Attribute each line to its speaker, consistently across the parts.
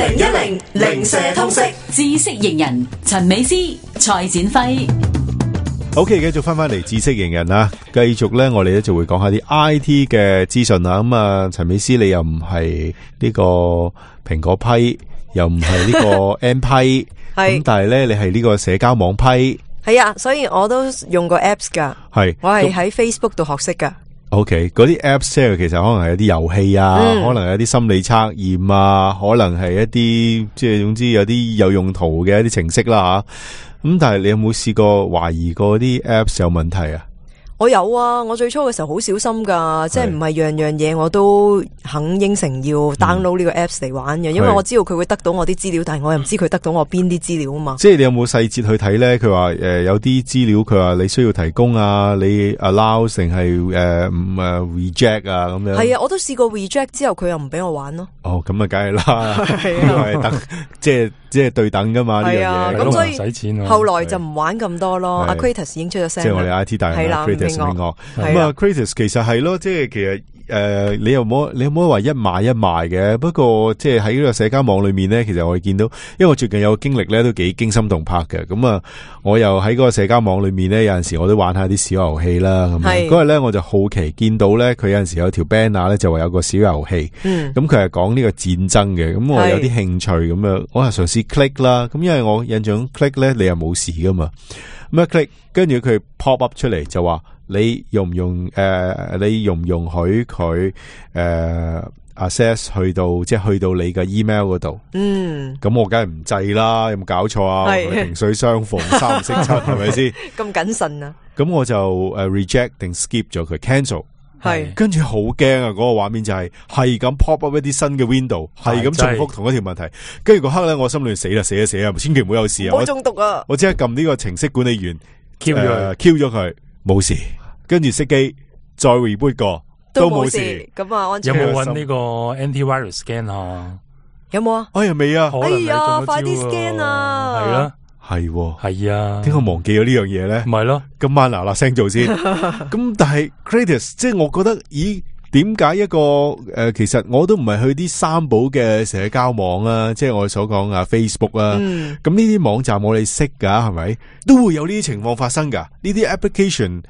Speaker 1: 2010零舍通識
Speaker 2: 知識型人陳美詩、蔡展輝。
Speaker 3: OK， 繼續翻嚟知識型人啦，繼續咧，我哋咧就會講下啲 IT 嘅資訊啦。咁啊，陳美詩，你又唔係呢個蘋果批，又唔係呢個 M 批，咁但係咧，你係呢個社交網批。
Speaker 4: 係啊，所以我都用過 apps 噶。
Speaker 3: 係，
Speaker 4: 我係喺 Facebook 度學識噶。
Speaker 3: OK， 嗰啲 apps 即係其實可能係一啲遊戲啊，可能係一啲心理測驗啊，可能係一啲即係總之有啲有用途嘅一啲程式啦吓。咁但係你有冇試過懷疑過啲 apps 有問題啊？
Speaker 4: 我有啊，我最初嘅時候好小心噶，即係唔係樣樣嘢我都肯應承要 download 呢個 apps 嚟玩嘅，因為我知道佢會得到我啲資料，但係我又唔知佢得到我邊啲資料啊嘛。即
Speaker 3: 係你有冇細節去睇咧？佢話有啲資料佢話你需要提供啊，你 allow 定係reject 啊咁樣。
Speaker 4: 係啊，我都試過 reject 之後，佢又唔俾我玩咯。
Speaker 3: 哦，咁啊，梗係啦，係等即係對等噶嘛呢樣嘢。
Speaker 4: 咁所以
Speaker 5: 使錢
Speaker 4: 後來就唔玩咁多咯。阿 Kratos 已經出咗聲，
Speaker 3: 即係我哋 IT 大人 Kratos 咁啊 Kratos 其實係咯，即係其實你又冇話一買一賣嘅。不過即係喺呢個社交網裏面咧，其實我哋見到，因為我最近有個經歷咧，都幾驚心動魄嘅。咁啊，我又喺嗰個社交網裏面咧，有陣時我都玩下啲小遊戲啦。咁嗰日咧，我就好奇見到咧，佢有陣時有條 banner 咧，就話有個小遊戲。咁佢係講呢個戰爭嘅。咁我有啲興趣咁樣，我係嘗試 click 啦。咁因為我印象 click 咧，你又冇事噶嘛。咁一 click，跟住佢 pop up 出嚟就話。你容唔容許佢access 去到你嘅 email 嗰度？咁我梗係唔制啦，有冇搞錯啊？萍水相逢三唔識七，係咪先？
Speaker 4: 咁謹慎啊！
Speaker 3: 咁我就reject 定 skip 咗佢 cancel。係，跟住好驚啊！嗰個畫面就係咁 pop up 一啲新嘅 window， 係咁重複同一條問題。跟住嗰刻咧，我心裏死啦，千祈唔好有事啊！
Speaker 4: 好中毒啊！
Speaker 3: 我即刻撳呢個程式管理員
Speaker 5: Q
Speaker 3: 咗佢，冇事。跟住熄機，再 reboot 過都冇事。
Speaker 4: 咁啊，安全。
Speaker 5: 有冇搵呢個 anti-virus scan 啊？
Speaker 4: 有冇啊？
Speaker 3: 哎呀，未啊！
Speaker 4: 哎呀，快啲 scan 啊！
Speaker 5: 係啦，
Speaker 3: 係
Speaker 5: 啊。
Speaker 3: 點解忘記咗呢樣嘢咧？
Speaker 5: 唔係咯，
Speaker 3: 今晚嗱聲做先。咁但係 Kratos， 即係我覺得，咦？點解一個其實我都唔係去啲三寶嘅社交網啊，即係我所講啊 Facebook 啊，咁呢啲網站我哋識噶，係咪都會有呢啲情況發生噶？呢啲 application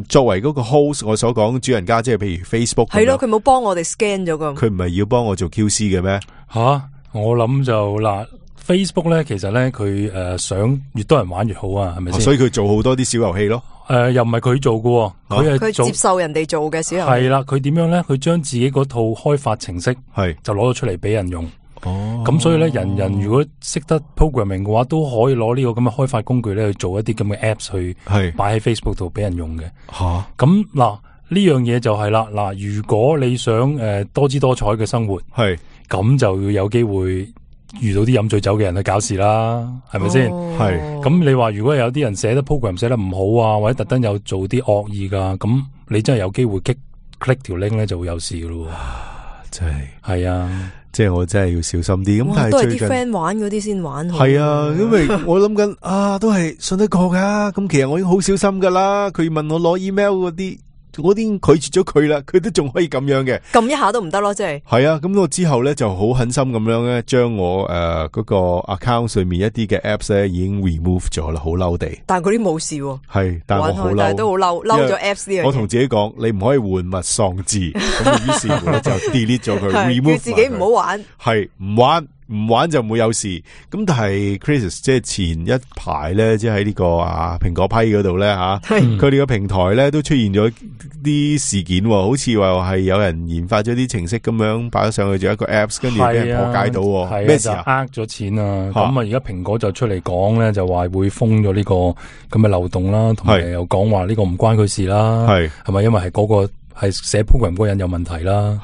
Speaker 3: 作為嗰個 host， 我所講主人家，即係譬如 Facebook
Speaker 4: 係咯，佢冇幫我哋 scan 咗噶，
Speaker 3: 佢唔係要幫我做 QC 嘅咩？
Speaker 5: 我諗就嗱。Facebook 咧，其實咧佢想越多人玩越好啊，係咪先？
Speaker 3: 所以佢做好多啲小遊戲咯。
Speaker 5: 又唔係佢做嘅，
Speaker 4: 佢接受人哋做嘅小遊戲。
Speaker 5: 係啦，佢點樣咧？佢將自己嗰套開發程式就攞咗出嚟俾人用。咁所以咧，人如果識得 programming 嘅話，都可以攞呢個咁嘅開發工具咧去做一啲咁嘅 apps 去擺喺 Facebook 度俾人用嘅。咁嗱呢樣嘢就係啦。嗱，如果你想多姿多彩嘅生活，咁就要有機會。遇到啲飲醉酒嘅人去搞事啦，係咪先？咁你話如果有啲人寫得 program 寫得唔好啊，或者特登有做啲惡意噶，咁你真係有機會 click 條 link 咧就會有事噶咯。
Speaker 3: 真係
Speaker 5: 啊，
Speaker 3: 即係我真係要小心啲。咁但係
Speaker 4: 都係啲 friend 玩嗰啲先玩。
Speaker 3: 係啊，因為我諗緊都係信得過噶。咁其實我已經好小心噶啦。佢問我攞 email 嗰啲。我已經拒絕咗佢啦，佢都仲可以咁樣嘅，
Speaker 4: 撳一下都唔得咯，即係。係
Speaker 3: 啊，咁我之後咧就好狠心咁樣咧，將我嗰個 account 上面一啲嘅 apps 咧已經 remove 咗啦，好嬲地。
Speaker 4: 但係嗰啲冇事喎。
Speaker 3: 係，但係我好嬲，
Speaker 4: 但係都好嬲咗 apps 呢樣嘢。
Speaker 3: 我同自己講，你唔可以玩物喪志，咁於是乎咧就 delete 咗佢，remove
Speaker 4: 叫自己唔好玩。
Speaker 3: 係唔玩就唔會有事。咁但係 Kratos 即係前一排咧，即係喺呢個蘋果批嗰度咧佢哋個平台咧都出現咗啲事件，好似話係有人研發咗啲程式咁樣擺咗上去做一個 apps， 跟住俾人破解到，咩事啊？
Speaker 5: 呃咗錢啊！咁啊，而家蘋果就出嚟講咧，就話會封咗呢個咁嘅漏洞啦，同埋又講話呢個唔關佢事啦，係咪？因為係嗰個係寫 program 嗰個人有問題啦，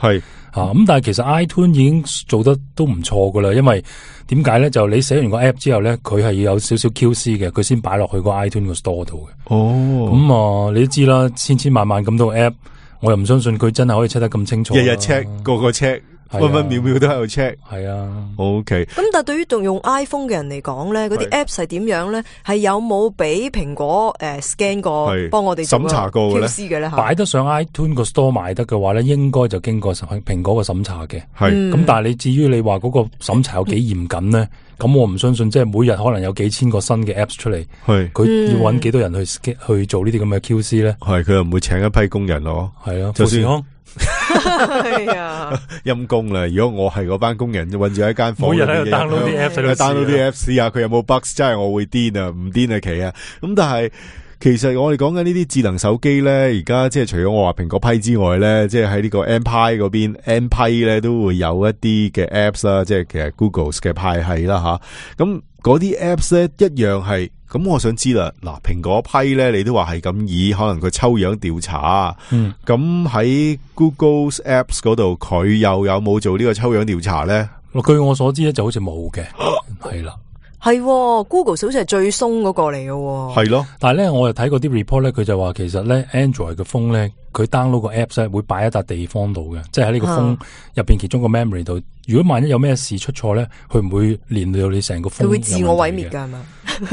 Speaker 5: 咁但係其實 iTunes 已經做得都唔錯噶啦，因為點解咧？就你寫完個 app 之後咧，佢係要有少少 QC 嘅，佢先擺落去個 iTunes 個 store 度嘅。咁你都知啦，千萬咁多 app，我又唔相信佢真係可以 check 得咁清楚。
Speaker 3: 日日 check，個 check，分分秒秒都喺度 check。
Speaker 5: 係啊
Speaker 3: ，OK。
Speaker 4: 咁但係對於用 iPhone 嘅人嚟講咧，嗰啲 Apps 係點樣咧？係有冇俾蘋果scan 過，幫我哋
Speaker 3: 審查過嘅
Speaker 4: 咧？
Speaker 5: 擺得上 iTunes 個 store 賣得嘅話咧，應該就經過蘋果個審查嘅。
Speaker 3: 係
Speaker 5: 咁，但係你至於你話嗰個審查有幾嚴謹咧？咁我唔相信，即係每日可能有幾千個新嘅 Apps 出嚟，佢要揾幾多人去做呢啲咁嘅 QC 咧？
Speaker 3: 係佢又唔會請一批工人咯。
Speaker 5: 係啊，
Speaker 3: 就算
Speaker 4: 係啊，
Speaker 3: 陰公啦！如果我係嗰班工人，韞住喺間房，
Speaker 5: 每日喺度 download 啲
Speaker 3: Apps，download 啲 Apps 試下佢有冇 bugs， 真係我會癲啊！唔癲啊奇啊！咁但係其實我哋講緊呢啲智能手機咧，而家即係除咗我話蘋果批之外咧，即係喺呢個 M 批嗰邊 M 批咧都會有一啲嘅 Apps 啦，即係其實 Google 嘅派系啦吓。咁嗰啲 Apps 咧一樣係。咁我想知啦，嗱，蘋果批咧，你都話係咁以可能佢抽樣調查，咁喺 Google's Apps 嗰度，佢又有冇做呢個抽樣調查咧？
Speaker 5: 據我所知咧，就好似冇嘅，係啦。
Speaker 4: 係 Google 好似係最鬆嗰個嚟嘅，
Speaker 3: 係咯。
Speaker 5: 但係咧，我又睇過啲 report 咧，佢就話其實咧 Android 嘅 phone 咧，佢 download 個 apps 咧會擺喺笪地方度嘅，即係喺呢個 phone 入邊其中個 memory 度。如果萬一有咩事出錯咧，佢唔會連到你成個 phone。
Speaker 4: 佢會自我毀滅噶係嘛？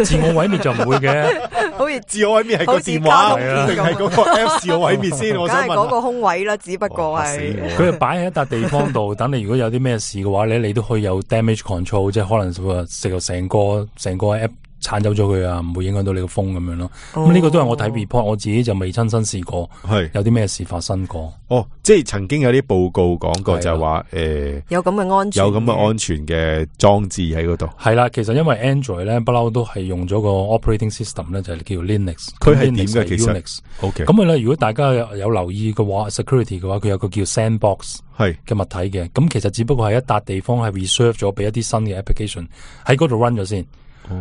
Speaker 5: 自我毀滅就唔會嘅，
Speaker 4: 好似
Speaker 3: 自我毀滅係個電話定係嗰個 apps 自我毀滅先？我想問。梗係嗰
Speaker 4: 個空位啦，只不過係
Speaker 5: 佢係擺喺一笪地方度，等你如果有啲咩事嘅話咧，你都可以有 damage control， 即係可能食到成個 app 鏟走咗佢啊，唔會影響到你個 phone 咁樣咯。咁呢個都係我睇 report， 我自己就未親身試過，係有啲咩事發生過。
Speaker 3: 哦，即係曾經有啲報告講過就係話
Speaker 4: 有咁嘅安全，
Speaker 3: 有咁嘅安全嘅裝置喺嗰度。
Speaker 5: 係啦，其實因為 Android 咧不嬲都係用咗個 operating system 咧，就係叫 Linux。
Speaker 3: 佢係點嘅？其實
Speaker 5: Unix。咁佢咧，如果大家有留意嘅話 ，security 嘅話，佢有個叫 sandbox 係嘅物體嘅。咁其實只不過係一笪地方係 reserve 咗俾一啲新嘅 application 喺嗰度 run 咗先。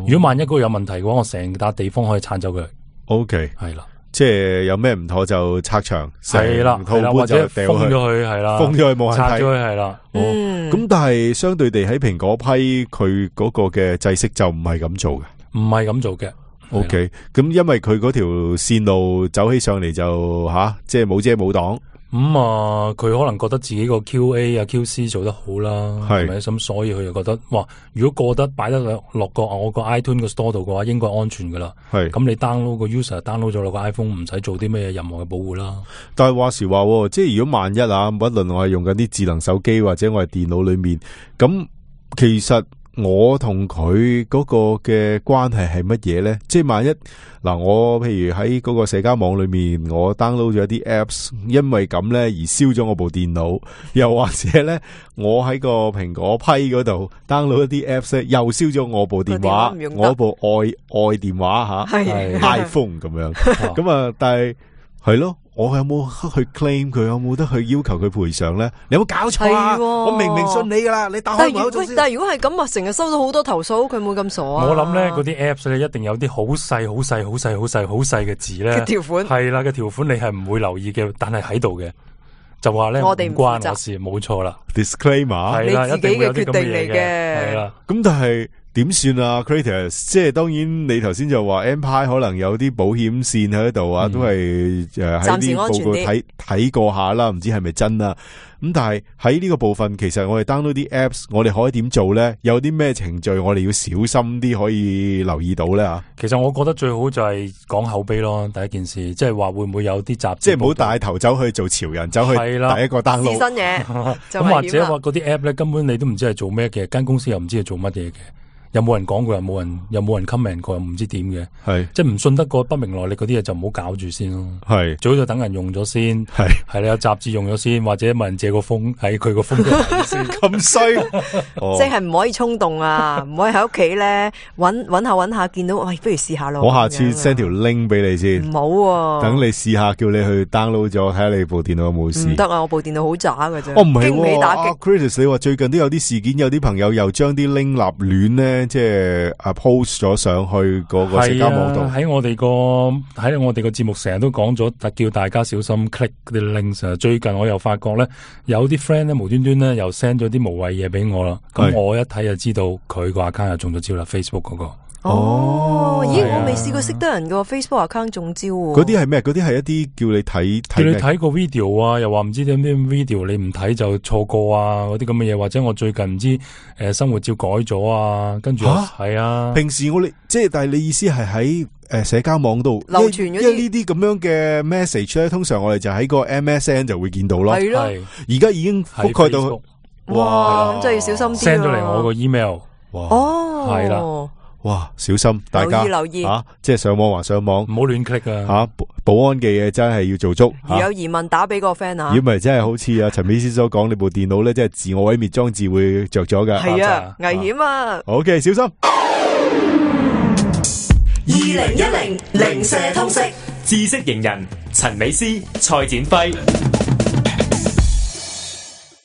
Speaker 5: 如果萬一嗰個有問題嘅話，我成笪地方可以鏟走佢。
Speaker 3: OK，
Speaker 5: 係啦，
Speaker 3: 即係有咩唔妥就拆牆，
Speaker 5: 係啦，或者封咗佢，係啦，
Speaker 3: 封咗佢冇人睇，
Speaker 5: 拆咗佢係啦。
Speaker 3: 咁但係相對地喺蘋果批佢嗰個嘅制式就唔係咁做嘅，
Speaker 5: 唔係咁做嘅。
Speaker 3: OK，咁因為佢嗰條線路走起上嚟就即係冇遮冇擋。
Speaker 5: 佢可能覺得自己個 QA 啊 QC 做得好啦，係咪咁？所以佢就覺得，哇！如果過得擺得落個我個 iTunes 個 store 度嘅話，應該安全噶啦。係咁，你 download 個 user download 咗落個 iPhone， 唔使做啲咩任何嘅保護啦。
Speaker 3: 但係話時話，即係如果萬一不論我係用緊啲智能手機或者我係電腦裏面，咁其實我同佢嗰個嘅關係係乜嘢咧？即係萬一我譬如喺嗰個社交網裏面，我 download 咗一啲 apps， 因為咁咧而燒咗我部電腦，又或者咧我喺個蘋果批嗰度 download 一啲 apps 咧，又燒咗我部電話，我部愛電話iPhone 咁樣，咁啊，但係係咯。我有冇去 claim 佢？有冇得去要求佢賠償咧？你有冇搞錯啊？我明明信你噶啦，你打開門口做先。
Speaker 4: 但係如果係咁啊，成日收到好多投訴，佢冇咁傻啊！
Speaker 5: 我諗咧，嗰啲 apps 咧一定有啲好細、好細、好細、好細、好細嘅字咧。
Speaker 4: 條款
Speaker 5: 係啦，嘅條款你係唔會留意嘅，但係喺度嘅，就話咧我哋唔關我事，冇錯啦。
Speaker 3: Disclaimer
Speaker 5: 係啦，
Speaker 4: 你自己嘅決定嚟嘅。
Speaker 5: 係啦，
Speaker 3: 咁但係。點算啊 Creators 即係當然你頭先就話 Empire 可能有啲保險線喺度啊，都係喺啲報告睇過下啦，唔知係咪真啊？咁但係喺呢個部分，其實我哋 download 啲 apps， 我哋可以點做咧？有啲咩程序我哋要小心啲，可以留意到咧？
Speaker 5: 其實我覺得最好就係講口碑咯，第一件事，即係話會唔會有啲雜誌，
Speaker 3: 即係唔好帶頭走去做潮人，走去第一個 download
Speaker 4: 新嘢。
Speaker 5: 咁或者話嗰啲 app 咧，根本你都唔知係做咩嘅，間公司又唔知係做乜嘢嘅。有冇人講過？有冇人 comment 過？又唔知點嘅，係即係唔信得過不明來歷嗰啲嘢就唔好搞住先咯。係最好就等人用咗先，係你有雜誌用咗先，或者問人借個風喺佢個風度先。咁衰，
Speaker 4: 即係唔可以衝動啊！唔可以喺屋企咧搵下見到，喂，不如試下咯。
Speaker 3: 我下次 send 條 link 俾你先。
Speaker 4: 唔好，等
Speaker 3: 你試下，叫你去 download 咗，睇下你部電腦有冇事。唔
Speaker 4: 得啊！我部電腦好渣㗎啫。
Speaker 3: 唔係經唔起打擊。Chris， 你話最近都有啲事件，有啲朋友又將啲 link 立亂咧。即係post 咗上去嗰個社交網度，
Speaker 5: 喺我哋個節目成日都講咗，叫大家小心 click 啲 links。最近我又發覺咧，有啲 friend 咧無端端咧又 send 咗啲無謂嘢俾我啦。咁我一睇就知道佢個 account 又中咗招啦，Facebook 嗰個。
Speaker 4: 咦，我未試過識得人個 Facebook account 中招喎。
Speaker 3: 嗰啲係咩？嗰啲係一啲叫你睇
Speaker 5: 個 video 啊，又話唔知點啲 video 你唔睇就錯過啊，嗰啲咁嘅嘢，或者我最近唔知生活照改咗啊，跟住係啊。
Speaker 3: 平時我哋即係，但係你意思係喺社交網度
Speaker 4: 流傳嗰啲，
Speaker 3: 因為呢啲咁樣嘅 message 咧，通常我哋就喺個 MSN 就會見到咯。
Speaker 4: 係咯，
Speaker 3: 而家已經覆蓋到，
Speaker 4: 哇！咁真係要小心啲。
Speaker 5: send 咗嚟我個 email。
Speaker 4: 哦，
Speaker 5: 係啦。
Speaker 3: 哇！小心，大家
Speaker 4: 留意
Speaker 3: 即係上網還上網，
Speaker 5: 唔好亂 click 啊！
Speaker 3: 保安嘅嘢真係要做足。
Speaker 4: 如有疑問，打俾個 friend 啊！
Speaker 3: 如果唔係，真係好似阿陳美師所講，你部電腦咧，即係自我毀滅裝置會着咗噶。
Speaker 4: 係啊，危險啊
Speaker 3: ！OK，小心。
Speaker 1: 2010零舍通識
Speaker 6: 知識型人陳美師、蔡展輝。